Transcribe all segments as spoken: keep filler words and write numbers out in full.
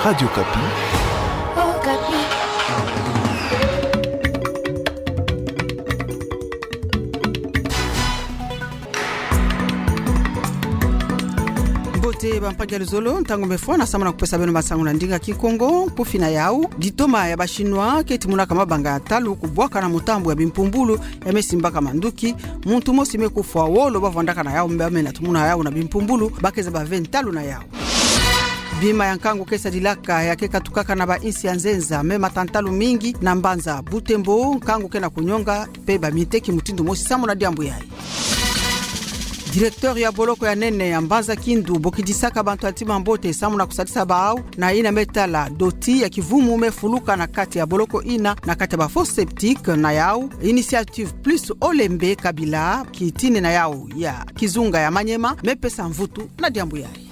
Radio Okapi. Mbote bampangi ya luzolo, ntangu mefwa na samana kupesa beno masangu na ndinga Kikongo. Kufi na yau: litoma ya ba Chinois ke timunaka mabanga ya ntalu kubwaka na mutambu ya bimpumbulu ya mesimbaka manduki. Muntu mosi me kufwa, wolo bavwandaka na yau mbe ame na tumuna yau na bimpumbulu, bakeza bave ntalu na yau. Bima ya nkangu ke sadilaka, ya ke katukaka na ba insi ya nzenza me matantalu mingi na mbanza Butembo, nkangu ke na kunionga, mpe baminteki mutindu mosi sambu na diambu yayi. Directeur ya boloko ya nene ya mbanza Kindu bokidisaka bantu ya ntima mbote sambu na kusadisa bau na ina me tala doti ya kivumu me fuluka na kati ya boloko ina na kati ya ba fosse septique na yau. Initiative Plus Olembe Kabila, kitini na yau ya kizunga ya Maniema, me pesa mvutu na diambu yayi.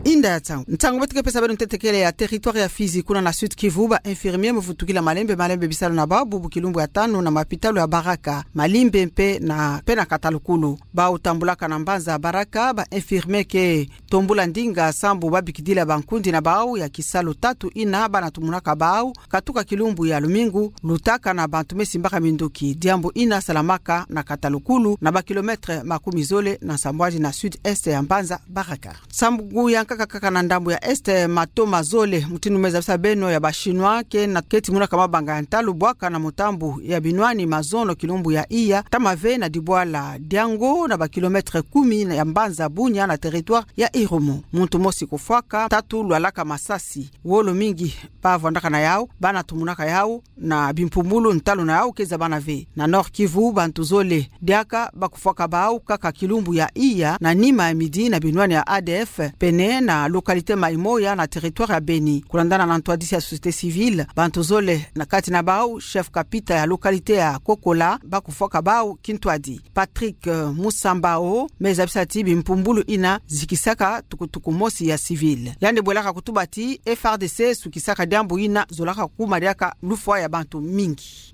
Inda ya ntangu. Ntangu beto ke pesa beno ntete kele ya territoire ya Fizi, kuna na Sud-Kivu, ba infirmier me vutukila malembe malembe bisalu na bau bubu kilumbu ya tanu na mapitalu ya Baraka, Malimbe mpe na, mpe na Katalukulu. Bau tambulaka na mbanza Baraka, ba infirmier ke tombula ndinga sambu babikidila bankundi na bau ya kisalu tatu ina bana tumunaka bau katuka kilumbu ya lumingu, lutaka na bantu mesimbaka minduki. Diambu ina salamaka na Katalukulu, na ba kilomètre makumi zole na nsambwadi na sud-est ya mbanza Baraka. Sambu ya nkaka kaka na ndambu ya est, mato mazole mutindu me zabisa beno ya ba Chinois ke na, ke timunaka mabanga ya ntalu bwaka na mutambu ya binwani mazono kilumbu ya iya, ta mave na dibwala Diango na ba kilomètre kumi ya mbanza Bunia na territoire ya Irumu. Muntu mosi kufwaka, tatu lwalaka masasi, wolo mingi bavwandaka na yau, bana tumunaka yau na bimpumbulu, ntalu na yau keza bana ve. Na Nord-Kivu, bantu zole diaka bakufwaka bau kaka kilumbu ya iya na nima ya midi na binwani ya A D F, pene na localité Maimoya na territoire ya Beni. Kulandana na ntwadisi ya société civile, bantu zole, na kati na bau chef kapita ya localité ya Kokola, bakufwaka bau kintwadi. Patrick, eh, Musambao me zabisa ti bimpumbulu ina zikisaka tukutuku mosi ya civil. Yandi bwelaka kutuba ti F A R D C sukisaka diambu ina zolaka kuma diaka lufwa ya bantu mingi.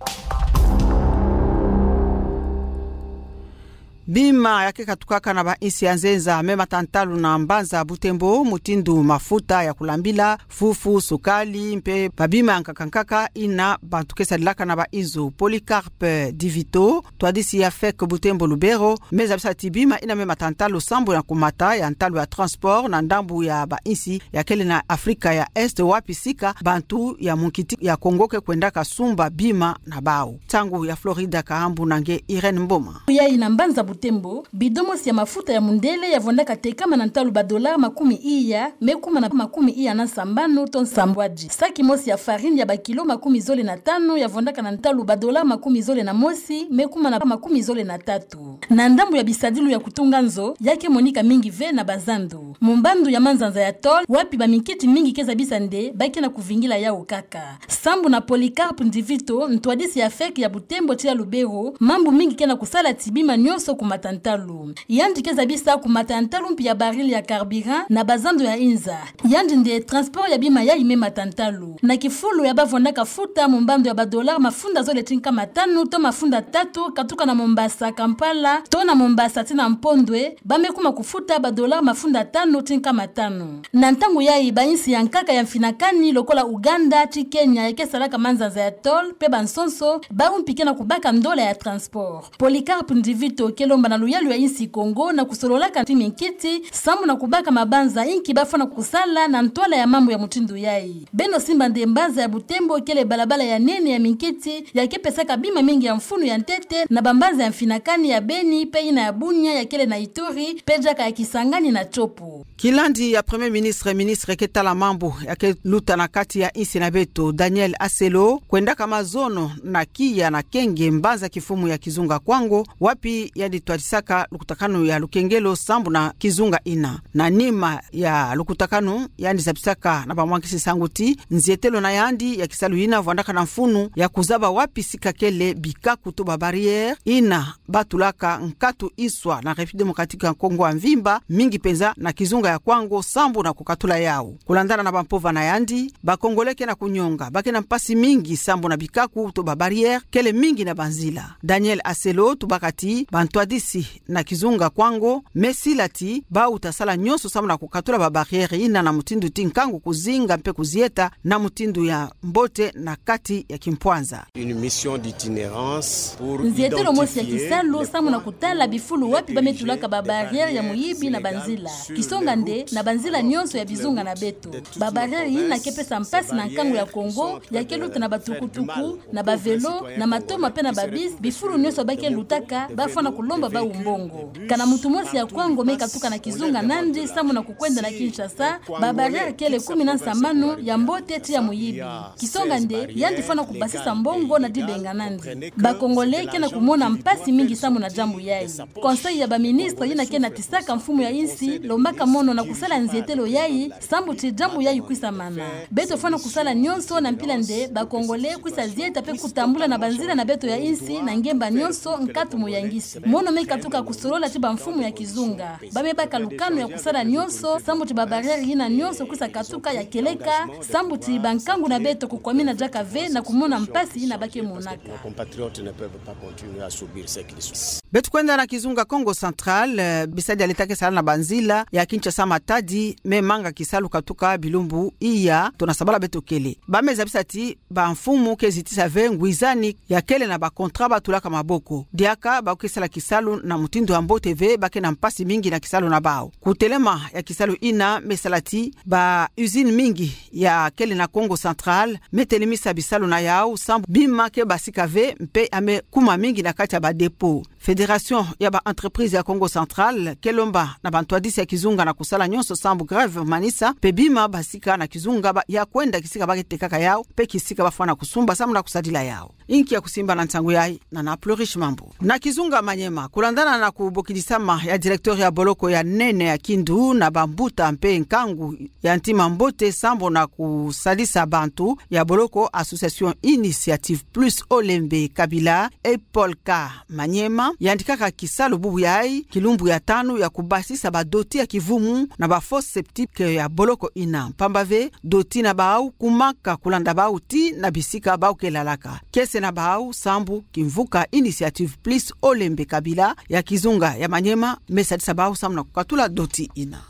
Bima ya ke katukaka na ba insi ya nzenza me matantalu na mbanza Butembo, mutindu mafuta ya kulambila, fufu, sukali, mpe ba bima ya nkaka nkaka ina bantu ke sadilaka na ba inzo. Polycarpe Divito, ntwadisi ya fek Butembo Lubero, me zabisa ti bima ina me matantalu sambu na kumata ya ntalu ya transport na ndambu ya ba insi ya kele na Afrika ya Est, wapi sika bantu ya munkiti ya Kongo ke kwendaka sumba bima na bau. Nsangu ya Florida Kahambu na nge Irène Mboma. Yayi na mbanza Butembo, bidon mosi ya mafuta ya mundele ya vwandaka tekama na ntalu ba dollars makumi iya, me kuma na makumi iya na sambanu to nsambwadi. Saki mosi ya farine ya ba kilo makumi zole na tanu ya vwandaka na ntalu ba dollars makumi zole na mosi, me kuma na makumi zole na tatu. Na ndambu ya bisadilu ya kutunga nzo, ya ke monika mingi ve na bazandu. Mu mbandu ya manzanza ya Toul, wapi ba minkiti mingi ke zabisa nde ba ke na kuvingila yau kaka. Sambu na Polycarpe Ndivito, ntwadisi ya fek ya Butembo ti ya Lubero, mambu mingi ke na kusala ti bima nyonso kumata ntalu. Yandi ke zabisa kumata ya ntalu mpi ya baril ya carburant na bazandu ya inza. Yandi nde transport ya bima yayi me mata ntalu. Na kifulu ya bavwandaka futa mu mbandu ya ba dollars mafunda zole ti nkama tanu to mafunda tatu, katuka na Mombasa, Kampala, to na Mombasa ti na Mpondwe, ba me kuma kufuta ba dollars mafunda tanu ti nkama tanu. Na ntangu yayi ba insi ya nkaka ya mfinakani lokola Ouganda ti Kenya ya ke salaka manzanza ya Toul, mpe bansonso, bau mpi ke na kubaka ndola ya transport. Polycarpe Ndivito ke lomba na luyalu ya insi Kongo na kusololaka ti minkiti, sambu na kubaka mabanza inki ba fwana kusala na ntwala ya mambu ya mutindu yayi. Beno simba nde mbanza ya Butembo kele balabala ya nene ya minkiti, ya ke pesaka bima mingi ya mfunu ya ntete na bambanza ya mfinakani ya Beni, mpe ina ya Bunia ya kele na Ituri, mpe diaka ya Kisangani na Tshopo. Kilandi ya Premier Ministre, ministre ke tala mambu ya ke luta na kati ya insi na beto, Daniel Aselo, kwendaka mazono na Kiya na Kenge, mbanza kifumu ya kizunga Kwango, wapi yandi twadisaka lukutakanu ya lukengelo sambu na kizunga ina. Na nima ya lukutakanu, yandi zabisaka na bamwangisi nsangu ti nzietelo na yandi ya kisalu ina vwandaka na mfunu ya kuzaba wapi sika kele bikaku to ba barrières ina batulaka nkatu iswa na République Démocratique ya Kongo ya mvimba, mingi mpenza na kizunga ya Kwango, sambu na kukatula yau. Kulandana na bampova na yandi, ba Congolais ke na kunyonga, ba ke na mpasi mingi sambu na bikaku to ba barrières kele mingi na banzila. Daniel Aselo tubaka ti bantwadi isi na kizunga Kwango, me sila ti bau ta sala nyonso samu na kukatula ba barrière ina na mutindu ti nkangu kuzinga mpe kuzieta na mutindu ya mbote na kati ya kimpwanza. Une mission d'itinérance pour Nzietelo mosi ya identifier kisalu les samu na points kutala bifulu wapi ba me tulaka ba barrière ya muyibi na banzila. Kisonga nde, na banzila nyonso ya bizunga na beto, ba barrière ina ke pesa mpasi na nkangu ya Kongo, ya ke luta na batukutuku, na ba vélo, na matoma mpe na ba bus, bifulu nyonso ba ke lutaka, ba fwana kulomba bau mbongo. Kana muntu mosi ya Kwango me katuka na kizunga na yandi samu na kukwenda na Kinshasa, ba barrière kele kumi na nsamanu, ya mbote tii ya muyibi. Kisonga nde, yandi fwana kubasisa mbongo na dibenga na yandi. Ba Congolais ke na kumona mpasi mingi samu na diambu yayi. Conseil ya ba ministres ina ke natisaka mfumu ya insi, lombaka mono na kusala nzietelo yayi, sambu ti diambu yayi kwisa mana. Beto fwana kusala nyonso na mpila nde ba Congolais kwisa zieta mpe kutambula na banzila na beto ya insi na ngemba nyonso nkatu muyangisi. Mono me katuka kusolola ti ba mfumu ya kizunga. Ba me baka lukanu ya kusala nyonso, sambu ti ba barrière ina nyonso kwisa katuka ya kieleka, sambu ti ba nkangu na beto kukwamina diaka ve na kumona mpasi ina ba ke monaka. Nos compatriotes ne peuvent pas continuer à subir ce qu'ils subissent. Beto kwenda na kizunga Kongo Central, eh, bisalu ya l'État ke sala na banzila ya Kinshasa Matadi me manga kisalu katuka bilumbu iya, tona sabala beto kele. Ba me zabisa ti ba mfumu ke zitisa ve ngwizani ya kele na ba contrat ba tulaka maboko. Diaka bau ke sala kisalu na mutindu ya mbote ve, ba ke na mpasi mingi na kisalu na bau. Kutelema ya kisalu ina me sala ti ba usines mingi ya kele na Kongo Central me telemisa bisalu na yau, sambu bima ke basika ve mpe ya me kuma mingi na kati ya ba dépôt. Fédération ya ba entreprises ya Kongo Central ke lomba na bantwadisi ya kizunga na kusala nyonso sambu grève manisa, mpe bima basika na kizunga ba ya kwenda kisika ba ke tekaka yau, mpe kisika ba fwana kusumba samu na kusadila yau. Inki ya kusimba na nsangu yayi na na Plurish Mambu. Na kizunga Maniema, kulandana na kubokidisama ya directeur ya boloko ya nene ya Kindu na bambuta mpe nkangu ya ntima mbote sambu na kusadisa bantu ya boloko Association Initiative Plus Olembe Kabila, Epolka Maniema, yandikaka kisalu bubu yayi, kilumbu ya tanu, ya kubasisa ba doti ya kivumu na ba fosse septique ya boloko ina. Mpamba ve, doti na bau kumaka kulanda bau tii na bisika bau ke lalaka. Kiese na bau sambu kimvuka Initiative Plus Olembe Kabila ya kizunga ya Maniema me sadisa bau samu na kukatula doti ina.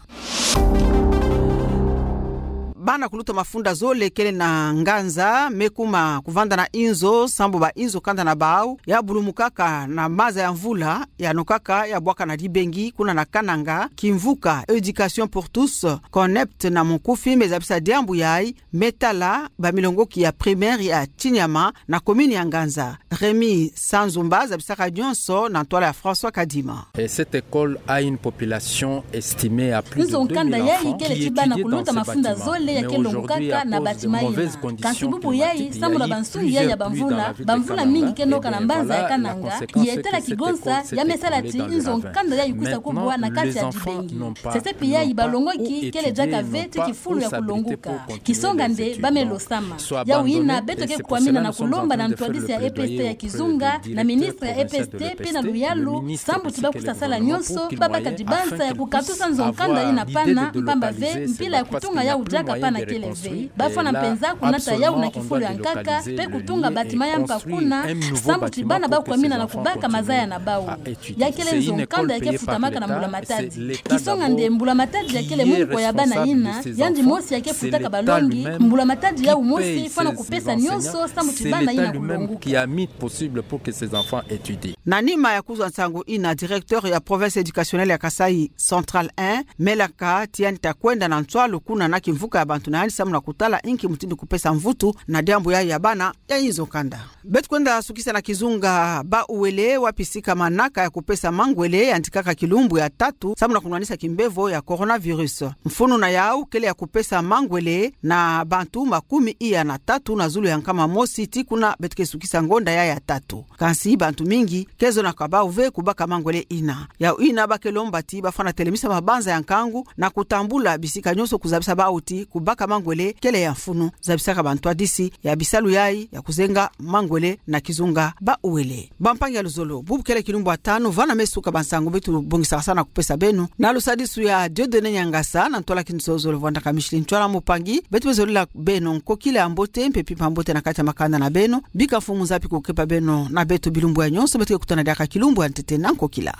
Bana kuluta mafunda zole kele na nganza me kuma kuvanda na inzo, sambu ba inzo kanda na bau ya bulumukaka na maza ya mvula, ya nokaka ya bwaka na dibengi kuna na Kananga. Kimvuka Education pour tous, CONEPT na mukufi, me zabisa diambu yayi, me tala ba milongoki ya primaire ya Tiniama na commune ya Nganza. Rémy Sanzumba zabisaka nyonso na ntwala ya François Kadima. Et cette école a une population estimée à plus de deux mille enfants qui étudient dans ces bâtiments. Mais aujourd'hui, à cause de mauvaises conditions climatiques, il y a eu plusieurs puits de navires dans la ville de Kananga. Et bien voilà, la conséquence, c'est que cette école s'est écroulée dans le ravin. Maintenant, les enfants n'ont pas pu étudier, n'ont pas pu s'abriter pour continuer les études. Donc, soit abandonné, et c'est pour cela nous sommes en train de faire le plaidoyer auprès du directeur provincial de l'E P S T, le ministre Sikeno Limampo, pour qu'il voie afin qu'il puisse avoir l'idée de localiser, de voir si on a moyen de reconstruire. Et là, actuellement, on doit le localiser, mais on construit un nouveau bâtiment pour que ces enfants continuent à étudier. C'est une école payée par l'État, c'est l'État d'abord qui est responsable de ce qui est payé par ces enfants, c'est l'État lui-même qui paye ces, ces enseignants, c'est l'État lui-même qui a mis possible pour que ces enfants étudient. Na nima ya kuzwa nsangu ina, directeur ya province éducationnelle ya Kasaï Central un, me laka ti yandi ta kwenda na nswalu kuna na kimvuka ya bantu na yandi samu na kutala inki mutindu kupesa mvutu na diambu yayi ya bana ya inzo kanda. Beto kwenda sukisa na kizunga Bas-Uele, wapi sika manaka ya kupesa mangwele yandikaka kilumbu ya tatu samu na kunwanisa kimbevo ya coronavirus. Mfunu na yau kele ya kupesa mangwele na bantu makumi iya na tatu na zulu ya nkama mosi ti kuna beto ke sukisa ngonda ya ya tatu. Kansi bantu mingi ke zonaka bau ve kubaka mangwele ina. Yau ina ba ke lomba ti ba fwana telemisa mabanza ya nkangu na kutambula bisika nyonso kuzabisa bau ti kubaka mangwele kele ya mfunu, zabisaka bantwadisi ya bisalu yayi ya kuzenga mangwele na kizunga Bas-Uele. Bampangi ya luzolo, bubu kele kilumbu ya tanu vana me suka bansangu beto bongisaka sana kupesa beno. Na lusadisu ya Dieudonné Niangasa, na ntwala Kinzolo Luvwanda Kamishili Ntwala Mupangi, beto me zolila beno nkokila ya mbote, mpe mpimpa mbote na kati ya makanda na beno. Bika Mfumu Nzambi kukepa beno na beto bilumbu ya nyonso, beto ke kutana diaka kilumbu ya ntete na nkokila.